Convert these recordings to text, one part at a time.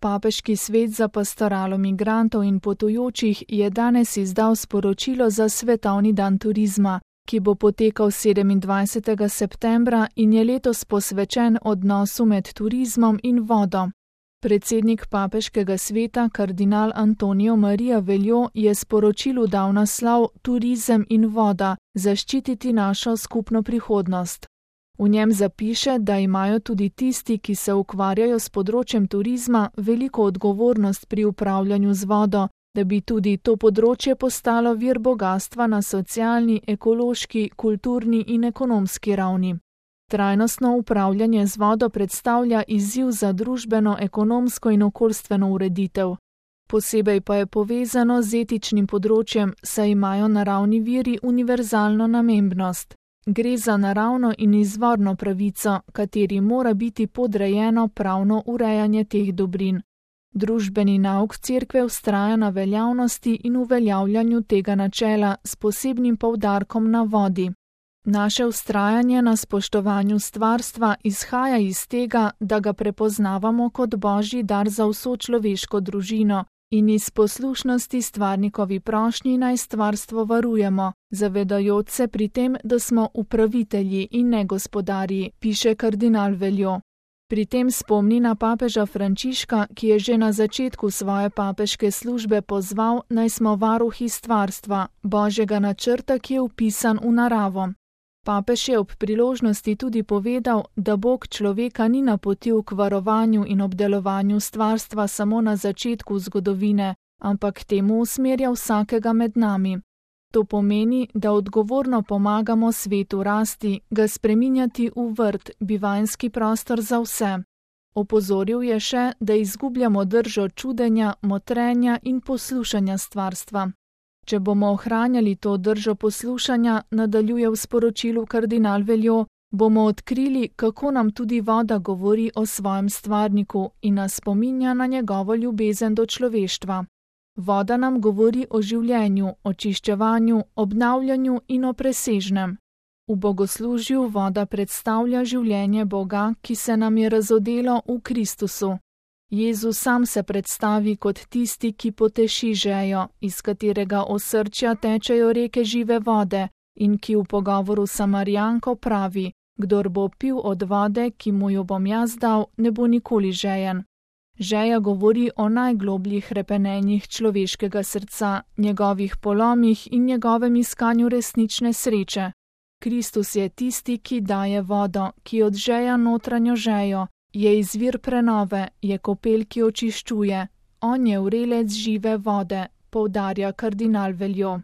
Papeški svet za pastoralo migrantov in potujočih je danes izdal sporočilo za svetovni dan turizma, ki bo potekal 27. septembra in je letos posvečen odnosu med turizmom in vodo. Predsednik papeškega sveta, kardinal Antonijo Marija Veljo, je sporočilu dal naslov Turizem in voda, zaščititi našo skupno prihodnost. V njem zapiše, da imajo tudi tisti, ki se ukvarjajo s področjem turizma, veliko odgovornost pri upravljanju z vodo, da bi tudi to področje postalo vir bogastva na socialni, ekološki, kulturni in ekonomski ravni. Trajnostno upravljanje z vodo predstavlja izziv za družbeno, ekonomsko in okoljstveno ureditev. Posebej pa je povezano z etičnim področjem, saj imajo naravni viri univerzalno namembnost. Gre za naravno in izvorno pravico, kateri mora biti podrejeno pravno urejanje teh dobrin. Družbeni nauk cerkve vztraja na veljavnosti in uveljavljanju tega načela s posebnim poudarkom na vodi. Naše vztrajanje na spoštovanju stvarstva izhaja iz tega, da ga prepoznavamo kot božji dar za vso človeško družino in iz poslušnosti stvarnikovi prošnji naj stvarstvo varujemo, zavedajoč se pri tem, da smo upravitelji in ne gospodarji, piše kardinal Veljo. Pri tem spomni na papeža Frančiška, ki je že na začetku svoje papeške službe pozval, naj smo varuhi stvarstva, božjega načrta, ki je vpisan v naravo. Papež je ob priložnosti tudi povedal, da Bog človeka ni napotil k varovanju in obdelovanju stvarstva samo na začetku zgodovine, ampak temu usmerja vsakega med nami. To pomeni, da odgovorno pomagamo svetu rasti, ga spreminjati v vrt, bivanjski prostor za vse. Opozoril je še, da izgubljamo držo čudenja, motrenja in poslušanja stvarstva. Če bomo ohranjali to držo poslušanja, nadaljuje v sporočilu kardinal Veljo, bomo odkrili, kako nam tudi voda govori o svojem stvarniku in nas spominja na njegovo ljubezen do človeštva. Voda nam govori o življenju, očiščevanju, obnavljanju in o presežnem. V bogoslužju voda predstavlja življenje Boga, ki se nam je razodelo v Kristusu. Jezus sam se predstavi kot tisti, ki poteši žejo, iz katerega osrčja tečejo reke žive vode, in ki v pogovoru s Samarijanko pravi: kdor bo pil od vode, ki mu jo bom jaz dal, ne bo nikoli žejen. Žeja govori o najglobljih hrepenenjih človeškega srca, njegovih polomih in njegovem iskanju resnične sreče. Kristus je tisti, ki daje vodo, ki odžeja notranjo žejo, je izvir prenove, je kopel, ki očiščuje. On je vrelec žive vode, poudarja kardinal Veljo.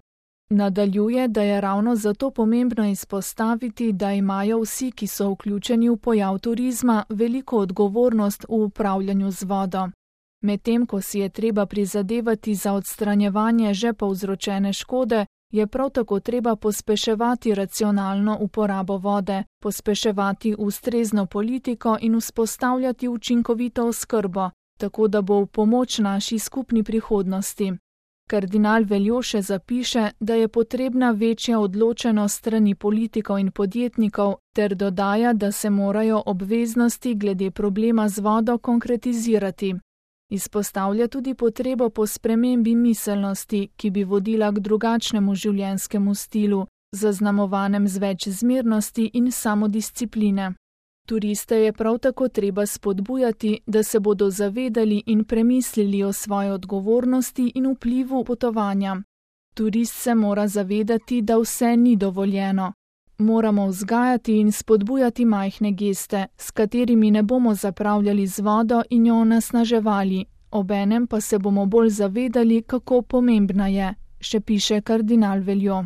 Nadaljuje, da je ravno zato pomembno izpostaviti, da imajo vsi, ki so vključeni v pojav turizma, veliko odgovornost v upravljanju z vodo. Medtem ko si je treba prizadevati za odstranjevanje že povzročene škode, je prav tako treba pospeševati racionalno uporabo vode, pospeševati ustrezno politiko in vzpostavljati učinkovito oskrbo, tako da bo v pomoč naši skupni prihodnosti. Kardinal Veljo še zapiše, da je potrebna večja odločenost strani politikov in podjetnikov, ter dodaja, da se morajo obveznosti glede problema z vodo konkretizirati. Izpostavlja tudi potrebo po spremembi miselnosti, ki bi vodila k drugačnemu življenjskemu stilu, zaznamovanem z več zmernosti in samodiscipline. Turiste je prav tako treba spodbujati, da se bodo zavedali in premislili o svoji odgovornosti in vplivu potovanja. Turist se mora zavedati, da vse ni dovoljeno. Moramo vzgajati in spodbujati majhne geste, s katerimi ne bomo zapravljali z vodo in jo onesnaževali, obenem pa se bomo bolj zavedali, kako pomembna je, še piše kardinal Veljo.